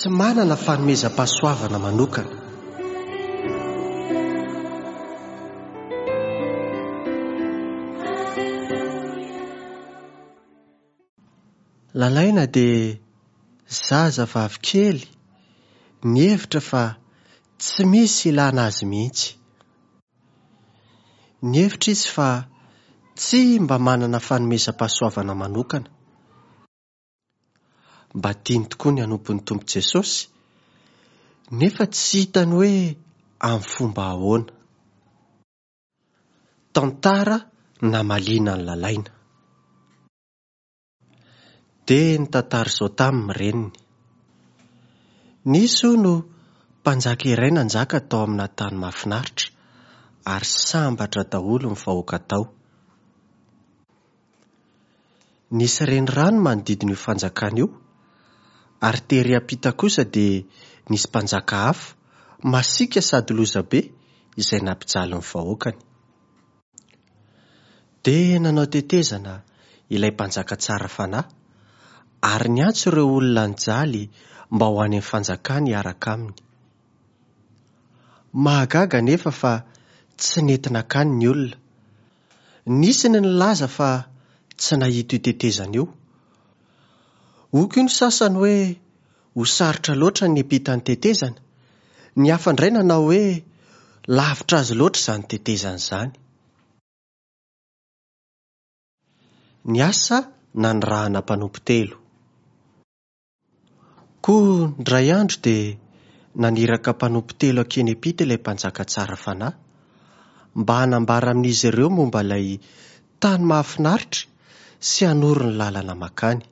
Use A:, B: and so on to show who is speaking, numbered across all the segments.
A: Tsy manana fanomezam-pahasoavana manokana. Lalaina dia zaza vavy kely nihevitra fa tsy misy ilana azy mihitsy. Nihevitra izy fa tsy mba manana fanomezam-pahasoavana manokana. Mba tiany tokoa ny hanompo ny Tompo Jesosy, nefa tsy hitany hoe amin'ny fomba ahoana. Tantara namaliana an'i Lalaina. Dia nitantara izao taminy ny reniny. Nisy, hono, mpanjaka iray nanjaka tao amina tany mahafinaritra, ary sambatra daholo ny vahoaka tao. Nisy renirano manodidina io fanjakana io, ary tery ampita kosa dia nisy mpanjaka hafa, masiaka sady lozabe, izay nampijaly ny vahoakany. Dia nanao tetezana ilay mpanjaka tsara fanahy, ary niantso ireo olona nijaly mba ho any amin'ny fanjakany hiaraka aminy. Mahagaga anefa fa tsy nety nankany ny olona. Nisy ny nilaza fa tsy nahita io tetezana io. Hoy koa ny sasany hoe ho sarotra loatra ny hiampita ny tetezana. Ny hafa indray nanao hoe lavitra azy loatra izany tetezana izany. Ny asa nanirahana mpanompo telo. Koa indray andro dia naniraka mpanompo telo hankeny am-pita ilay mpanjaka tsara fanahy, mba hanambara amin'izy ireo momba ilay tany mahafinaritra sy hanoro ny lalana mankany.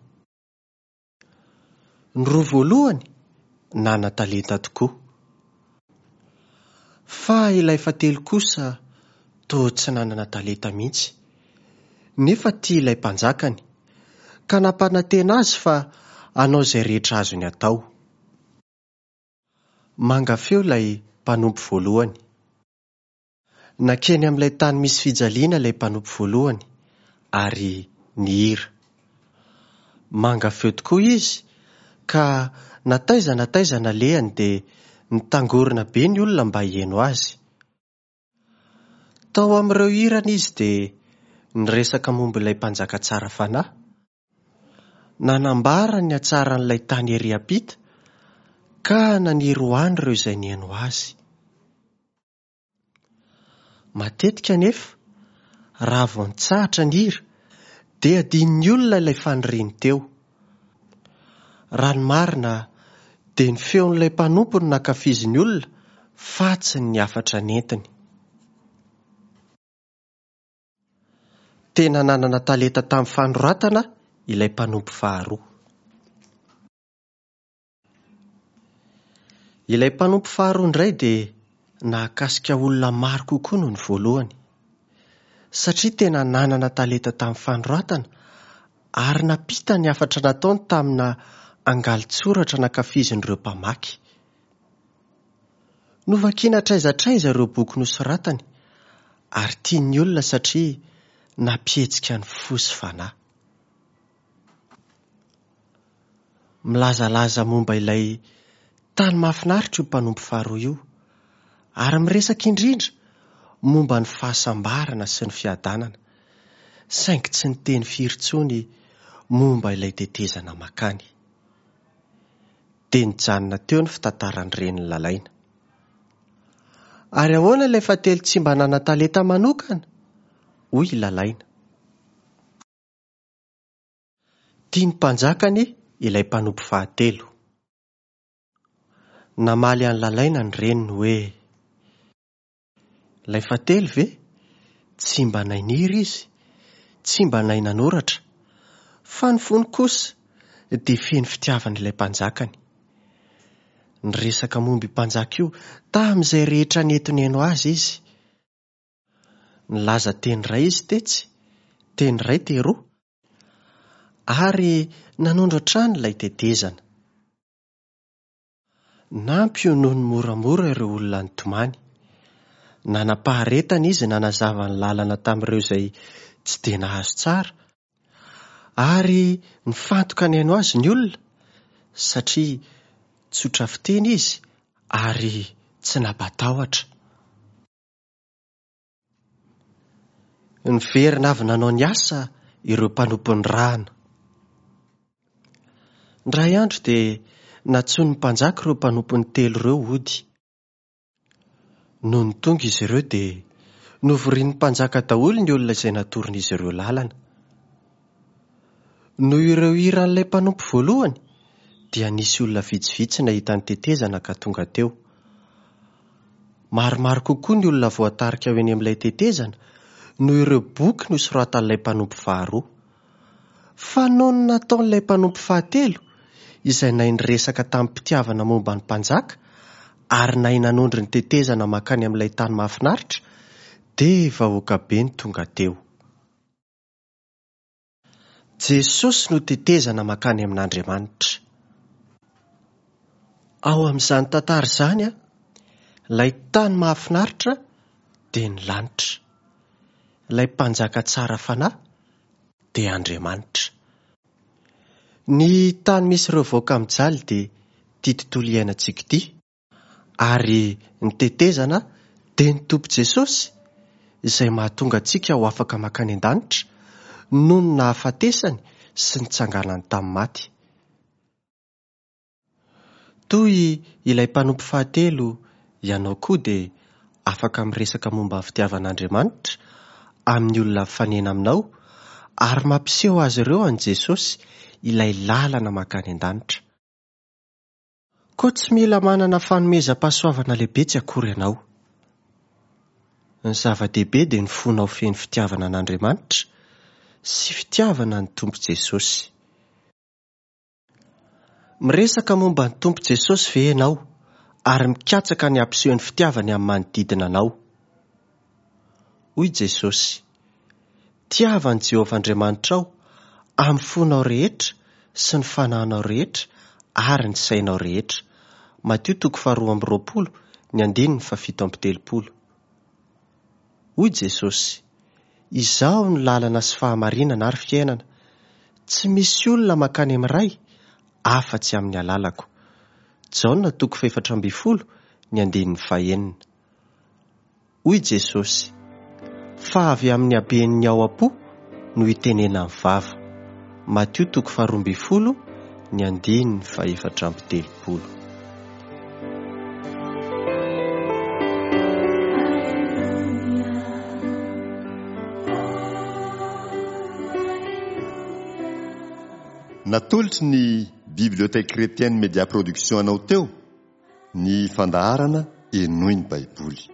A: Ny roa voalohany nanan-talenta tokoa. Fa ilay fahatelo kosa toa tsy nanana talenta mihitsy, nefa tia ilay mpanjakany, ka nampanantena azy fa hanao izay rehetra azony atao. Manga feo ilay mpanompo voalohany. Nankeny amin'ilay tany misy fijaliana ilay mpanompo voalohany ary nihira. Manga feo tokoa izy ka na taiza na taiza nalehany dia nitangorona be ny olona mba hihaino azy. Tao amin'ireo hirany izy dia niresaka momba ilay mpanjaka tsara fanahy. Nanambara ny hatsaran'ilay tany ery ampita ka naniry ho any ireo izay nihaino azy. Matetika anefa, raha vao nitsahatra ny hira, dia adinon'ny olona ilay faniriany teo. Raha ny marina, dia ny feon'ilay mpanompo no nankafizin'ny olona fa tsy ny hafatra nentiny. Tena nanana talenta tamin'ny fanoratana ilay mpanompo faharoa. Ilay mpanompo faharoa indray dia nahakasika olona maro kokoa noho ny voalohany, satria tena nanana talenta tamin'ny fanoratana ary nampita ny hafatra nataony tamina angalin-tsoratra nankafizin'ireo mpamaky. Novakina hatraiza hatraiza ireo boky nosoratany ary tian'ny olona satria nampihetsika ny fo sy fanahy. Milazalaza momba ilay tany mahafinaritra io mpanompo faharoa io, ary miresaka indrindra momba ny fahasambarana sy ny fiadanana, saingy tsy niteny firy intsony momba ilay tetezana mankany. Dia nijanona teo ny fitantaran'ny renin'i Lalaina. Ary ahoana ilay fahatelo tsy mba nanan-talenta manokana? hoy i Lalaina. Tia ny mpanjakany ilay mpanompo fahatelo. Namaly an'i Lalaina ny reniny hoe, Ilay fahatelo ve? Tsy mba nahay nihira izy, tsy mba nahay nanoratra, fa ny fony kosa dia feno fitiavana ilay mpanjakany. Niresaka momba io mpanjaka io tamin'izay rehetra nety nihaino azy izy. Nilaza teny iray izy tetsy, teny iray teroa, ary nanondro hatrany ilay tetezana. Nampionony moramora ireo olona nitomany. Nanam-paharetana izy nanazava ny lalana tamin'ireo izay tsy dia nahazo tsara, ary nifantoka nihaino azy ny olona, satria. Tsotra fiteny izy ary tsy nampatahotra. Niverina avy nanao ny asa ireo mpanompo nirahana. Indray andro dia nantsoin'ny mpanjaka ireo mpanompony telo ireo hody. Nony tonga izy ireo dia novorian'ny mpanjaka daholo ny olona izay natoron'izy ireo lalana. Noho ireo hiran'ilay mpanompo voalohany dia nisy olona vitsivitsy nahita ny tetezana ka tonga teo. Maromaro kokoa ny olona voatarika ho eny amin'ilay tetezana noho ireo boky nosoratan'ilay mpanompo faharoa. Fa noho ny nataon'ilay mpanompo fahatelo, izay nahay niresaka tamim-pitiavana momba ny mpanjaka ary nahay nanondro ny tetezana mankany amin'ilay tany mahafinaritra, dia vahoaka be no tonga teo. Jesosy no tetezana mankany amin'Andriamanitra. Ao amin'izany tantara izany, ilay tany mahafinaritra dia ny lanitra. Ilay mpanjaka tsara fanahy dia Andriamanitra. Ny tany misy ireo vahoaka mijaly dia ity tontolo iainantsika ity, ary ny tetezana dia ny Tompo Jesosy izay mahatonga antsika ho afaka mankany an-danitra noho ny nahafatesany sy nitsanganany tamin'ny maty. Toy ilay mpanompo fahatelo, ianao koa dia afaka miresaka momba ny fitiavan'Andriamanitra amin'ny olona mifanena aminao ary mampiseho azy ireo an'i Jesosy, ilay lalana mankany an-danitra. Koa tsy mila manana fanomezam-pahasoavana lehibe tsy akory ianao. Ny zava-dehibe dia ny fonao feno fitiavana an'Andriamanitra sy fitiavana ny Tompo Jesosy. Miresaka momba ny Tompo Jesosy ve ianao ary mikatsaka ny hampiseho ny fitiavany amin'ny manodidina anao? Hoy Jesosy, Tiava an'i Jehovah Andriamanitrao amin'ny fonao rehetra sy ny fanahinao rehetra ary ny sainao rehetra. Matio toko faharoa amby roapolo, ny andininy fahafito amby telopolo. Hoy Jesosy, Izaho no lalana sy fahamarinana ary fiainana. Tsy misy olona mankany amin'ny Ray afa-tsy amin'ny alalako. Jaona toko fahefatra ambin'ny folo, ny andininy fahenina. Hoy Jesosy, Fa avy amin'ny haben'ny ao am-po no itenenan'ny vava. Matio toko faharoa ambin'ny folo, ny andininy fahefatra amby telopolo.
B: Natolotry ny Bibliothèque Chrétienne Media Production anao teo ny fandaharana Henoy ny Baiboly.